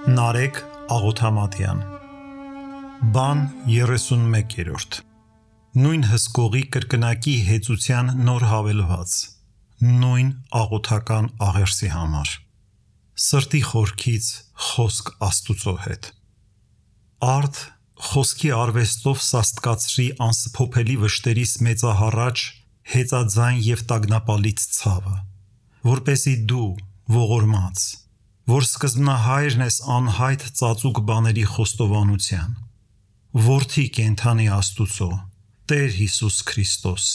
Նարեկ Աղոթամատյան Բան 31-րդ Նույն հսկողի կրկնակի հեծության նոր հավելված Նույն աղոթական աղերսի համար Սրտի խորքից խոսք Աստուծո հետ Արդ խոսքի արվեստով սաստկացրի անսփոփելի վշտերիս մեծահառաչ հեծաձայն և տագնապալից ցավը որպեսզի դու ողորմած որ սկզբնահայրն ես անհայտ ծածուկ բաների խոստովանության Որդի կենդանի Աստուծո Տեր Հիսուս Քրիստոս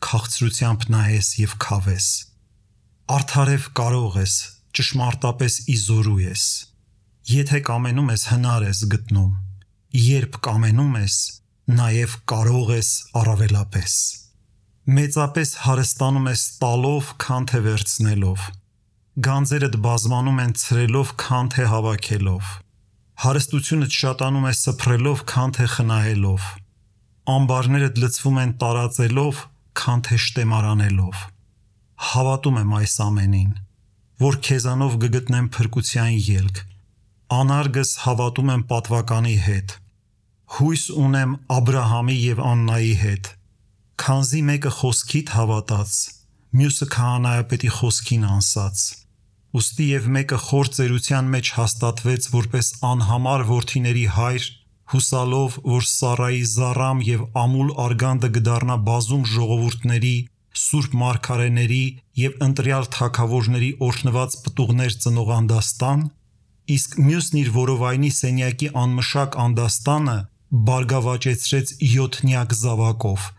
քաղցրությամբ նայես և քավես Արդարև կարող ես ճշմարտապես իզորու ես Եթե կամենում ես հնար ես գտնում Երբ կամենում ես նաև կարող ես առավելապես Մեծապես հարստանում ես տալով քան թե վերցնելով Գանձերդ բազմանում են ցրելով քան թե հավաքելով Հարստությունդ շատանում է սփռելով քան թե խնայելով Ամբարներդ լցվում են տարածելով քան թե շտեմարանելով Հավատում եմ այս ամենին որ քեզանով կգտնեմ փրկության ելք Անարգս հավատում եմ պատվականի հետ Հույս ունեմ Աբրահամի և Աննայի հետ Քանզի մեկը խոսքիդ հավատաց Մյուսը քահանայապետի խոսքին անսաց Ուստի և մեկը խոր ծերության մեջ հաստատվեց որպես անհամար որդիների հայր Հուսալով որ Սառայի զառամ և ամուլ արգանդը կդառնա բազում ժողովուրդների Սուրբ մարգարեների և ընտրյալ թագավորների օրհնված պտուղներ ծնող անդաստան Իսկ մյուսն իր որովայնի սենյակի անմշակ անդաստանը բարգավաճեցրեց յոթնյակ զավակով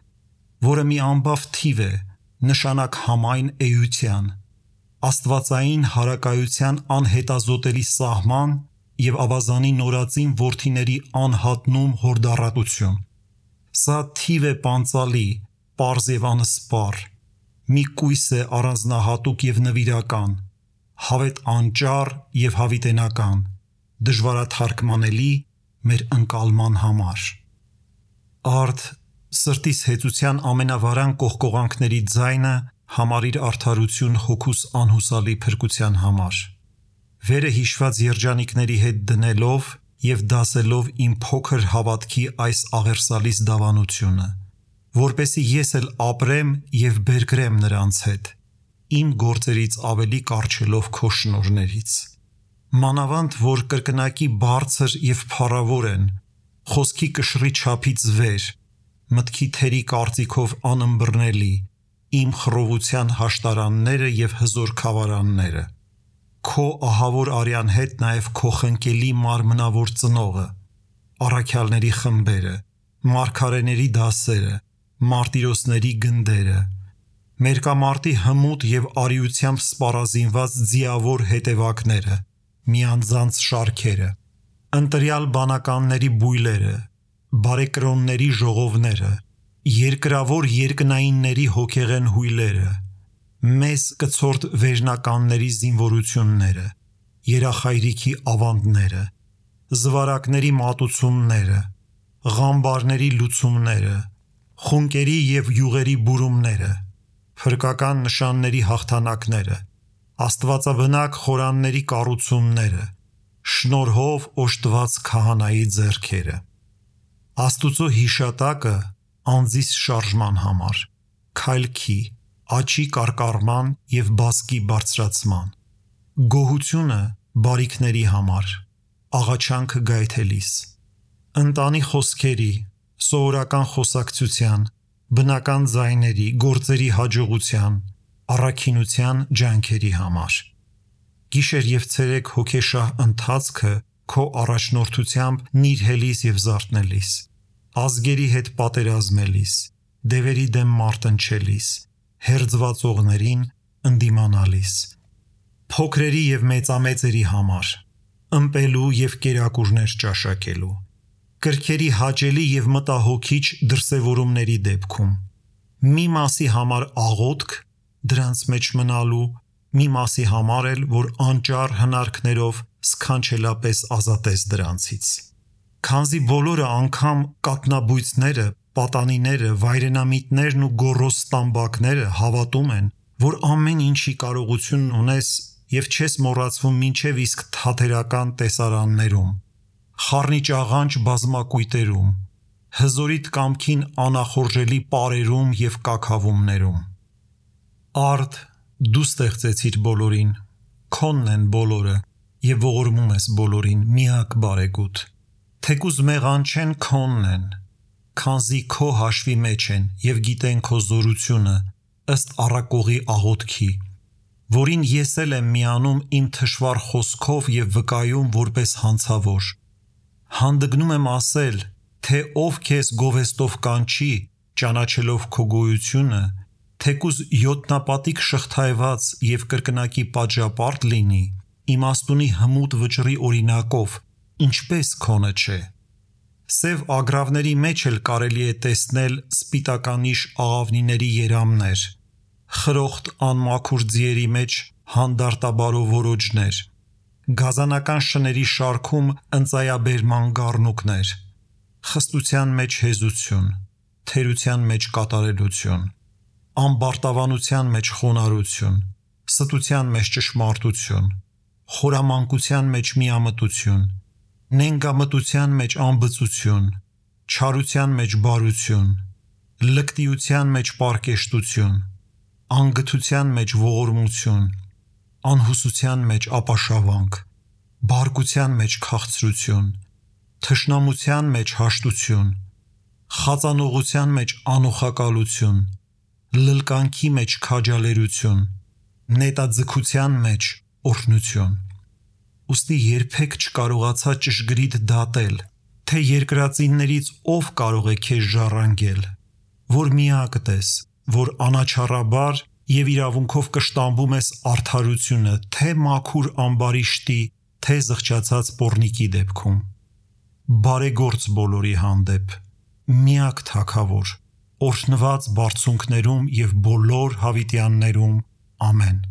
Որը մի ամբավ թիվ է նշանակ համայն էության Աստվածային հարակայության անհետազոտելի սահման և ավազանի նորածին որդիների անհատնում հորդառատություն Սա թիվ է պանծալի, պարզ և անսպառ Մի կույս է առանձնահատուկ և նվիրական Հավետ անճառ և հավիտենական Դժվարաթարգմանելի մեր ընկալման համար Արդ սրտիս հեծության ամենավարան կողկողանքների ձայնը Համարիր արդարություն հոգուս անհուսալի փրկության համար Վերը հիշված երջանիկների հետ դնելով և դասելով իմ փոքր հավատքի այս աղերսալից դավանությունը Որպեսզի ես էլ ապրեմ և բերկրեմ նրանց հետ Իմ գործերից ավելի կառչելով քո շնորհներից Մանավանդ որ կրկնակի բարձր և փառավոր են Խոսքի կշռի չափից վեր Մտքի թերի կարծիքով անըմբռնելի Իմ խռովության հաշտարանները և հզոր քավարանները Քո ահավոր արյան հետ նաև քո խնկելի մարմնավոր ծնողը Առաքյալների խմբերը Մարգարեների դասերը Մարտիրոսների գնդերը Մերկամարտի հմուտ և արիությամբ սպառազինված ձիավոր հետևակները Միանձանց շարքերը Ընտրյալ բանականների բույլերը Բարեկրոնների ժողովները Երկրավոր երկնայինների հոգեղեն հույլերը Մեզ կցորդ վերնականների զինվորությունները Երախայրիքի ավանդները Զվարակների մատուցումները Ղամբարների լուծումները Խունկերի և յուղերի բուրումները Փրկական նշանների հաղթանակները Աստվածաբնակ խորանների կառուցումները Շնորհով օժտված քահանայի ձեռքերը Աստուծո հիշատակը անձիս շարժման համար Քայլքի, աճի կարկառման և բազկի բարձրացման Գոհությունը բարիքների համար Աղաչանքը գայթելիս Ընտանի խոսքերի, սովորական խոսակցության, բնական ձայների, գործերի հաջողության, առաքինության ջանքերի համար Գիշեր և ցերեկ հոգեշահ ընթացքը քո առաջնորդությամբ նիրհելիս և զարթնելիս Ազգերի հետ պատերազմելիս, դևերի դեմ մարտնչելիս, հերձվածողներին ընդդիմանալիս Փոքրերի և մեծամեծերի համար, ըմպելու և կերակուրներ ճաշակելու Կրքերի հաճելի և մտահոգիչ դրսևորումների դեպքում Մի մասի համար աղոթք, դրանց մեջ մնալու Մի մասի համար էլ, որ անճառ հնարքներով սքանչելապես ազատես դրանցից Քանզի բոլորը անգամ կաթնաբույծները, պատանիները, վայրենամիտներն ու գոռոզ ստամբակները հավատում են, որ ամեն ինչի կարողությունն ունես եւ չես մոռացվում մինչեւ իսկ թատերական տեսարաններում, խառնիչ աղանջ բազմակույտերում, հզորիտ կամքին անախորժելի պարերում եւ կաքավումներում։ Արդ, դու ստեղծեցիր բոլորին, քոնն են բոլորը եւ ողորմում ես բոլորին միակ բարեգութ, թեկուզ մեղանչեն քոնն են, քանզի քո հաշվի մեջ են եւ գիտեն քո զորությունը ըստ առակողի աղոթքի, որին ես էլ եմ միանում իմ թշվառ խոսքով եւ վկայում որպես հանցավոր։ Հանդգնում եմ ասել, թե ով քեզ գովեստով կանչի, ճանաչելով քո գոյությունը, թեկուզ յոթնապատիկ շղթայված եւ կրկնակի պատժապարտ լինի, իմաստունի հմուտ վճռի օրինակով, ինչպես քոնը չէ։ Սև ագռավների մեջ էլ կարելի է տեսնել սպիտականիշ աղավնիների երամներ, խրոխտ անմաքուր ձիերի մեջ հանդարտաբարո որոջներ, գազանական շների շարքում ընծայաբերման գառնուկներ, խստության մեջ հեզություն, թերության մեջ կատարելություն, ամբարտավանության մեջ խոնարհություն, ստության մեջ ճշմարտություն, խորամանկության մեջ միամտություն, նենգամտության մեջ անբծություն, չարության մեջ բարություն, լկտիության մեջ պարկեշտություն, անգթության մեջ ողորմություն, անհուսության մեջ ապաշավանք, բարկության մեջ քաղցրություն, թշնամության մեջ հաշտություն, խածանողության մեջ անուխակալություն, լլկանքի մեջ քաջալերություն, նետաձգության մեջ օրհնություն։ Ուստի երբեք չկարողացա ճշգրիտ դատել, թե երկրածիններից ով կարող է քեզ ժառանգել, որ միակդ ես, որ անաչառաբար եւ իրավունքով կշտամբում ես արդարությունը, թե մաքուր ամբարիշտի, թե զղջացած պոռնիկի դեպքում։ Բարեգործ բոլորի հանդեպ, միակ թագավոր, օրհնված բարձունքներում եւ բոլոր հավիտյաններում, ամեն։